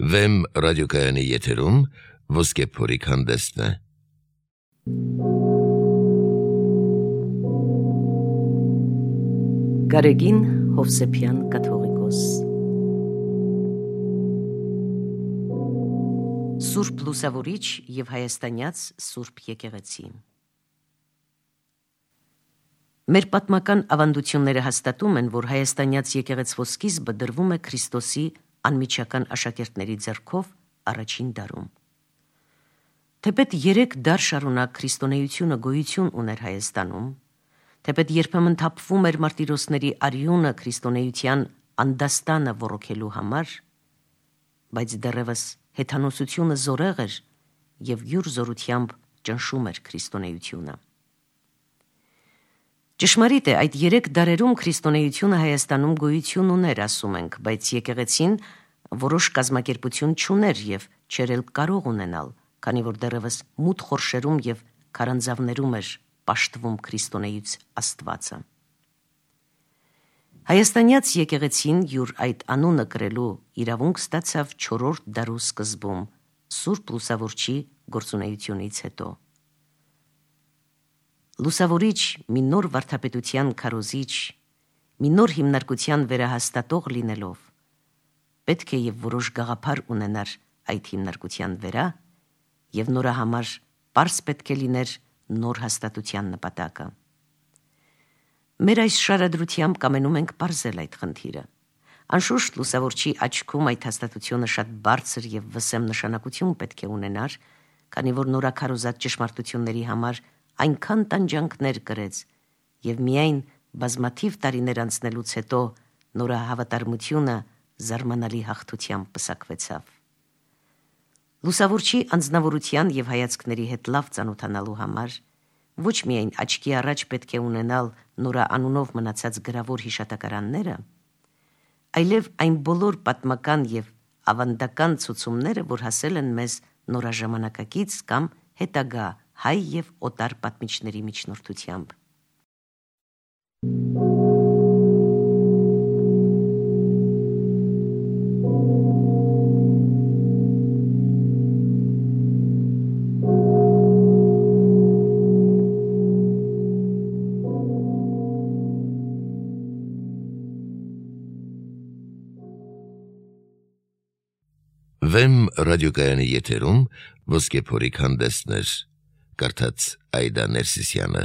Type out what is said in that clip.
Վեմ ռադիոկայանի եթերում ոսկե փորիկ հանդեսն է։ Գարեգին Հովսեփյան կաթողիկոս Սուրբ Լուսավորիչ և հայաստանյաց Սուրբ եկեղեցի։ Մեր պատմական ավանդությունները հաստատում են, որ հայաստանյաց եկեղեցվո սկիզբը դրվում է Քրիստոսի անմիջական աշակերտների ձեռքով առաջին դարում։ Թեպետ 3 դար շարունակ քրիստոնեությունը գոյություն ուներ Հայաստանում, թեպետ երբեմն թափվում էր մարտիրոսների արյունը քրիստոնեության անդաստանը ոռոգելու համար, բայց դեռևս հեթանոսությունը զորեղ էր և յուր զորությամբ ճնշում էր քրիստոնեությունը։ Ճշմարիտ է, այդ 3 դարերում քրիստոնեությունը Հայաստանում գոյություն ուներ, ասում ենք, բայց եկեղեցին որոշ կազմակերպություն չուներ և չէր էլ կարող ունենալ, քանի որ դեռևս մութ խորշերում և քարանձավներում էր պաշտվում քրիստոնեից Աստվածը։ Հայաստանյաց եկեղեցին յուր այդ անունը կրելու իրավունք ստացավ 4-րդ դարու սկզբում, Սուրբ Լուսավորչի գործունեությունից հետո։ Լուսավորիչ, մի նոր վարդապետության քարոզիչ, մի նոր հիմնարկության վերահաստատող լինելով, պետք է և որոշ գաղափար ունենար այդ հիմնարկության վերա և նորահամար պարզ պետք է լիներ նոր հաստատության նպատակը։ Մեր այս շարադրությամբ կամենում ենք պարզել այդ խնդիրը։ Անշուշտ Լուսավորչի աչքում այդ հաստատությունը շատ բարձր և վսեմ նշանակություն պետք է ունենար, քանի որ նորաքարոզած ճշմարտությունների համար այնքան տանջանքներ կրեց և միայն բազմաթիվ տարիներ անցնելուց հետո նորահավատարմությունը զարմանալի հաղթությամբ պսակվեցավ։ Լուսավորչի անձնավորության և հայացքների հետ լավ ծանոթանալու համար ոչ միայն աչքի առաջ պետք է ունենալ նորաանունով մնացած գրավոր հիշատակարանները, այլև այն բոլոր պատմական և ավանդական ցուցումները, որ հասել են մեզ նորաժամանակակից կամ հետագա հայ և օտար պատմիչների միջնորդությամբ։ Վեմ ռադիոկայանի եթերում ոսկե փորիկ հանդեսներ, կարդաց Այդա Ներսիսյանը։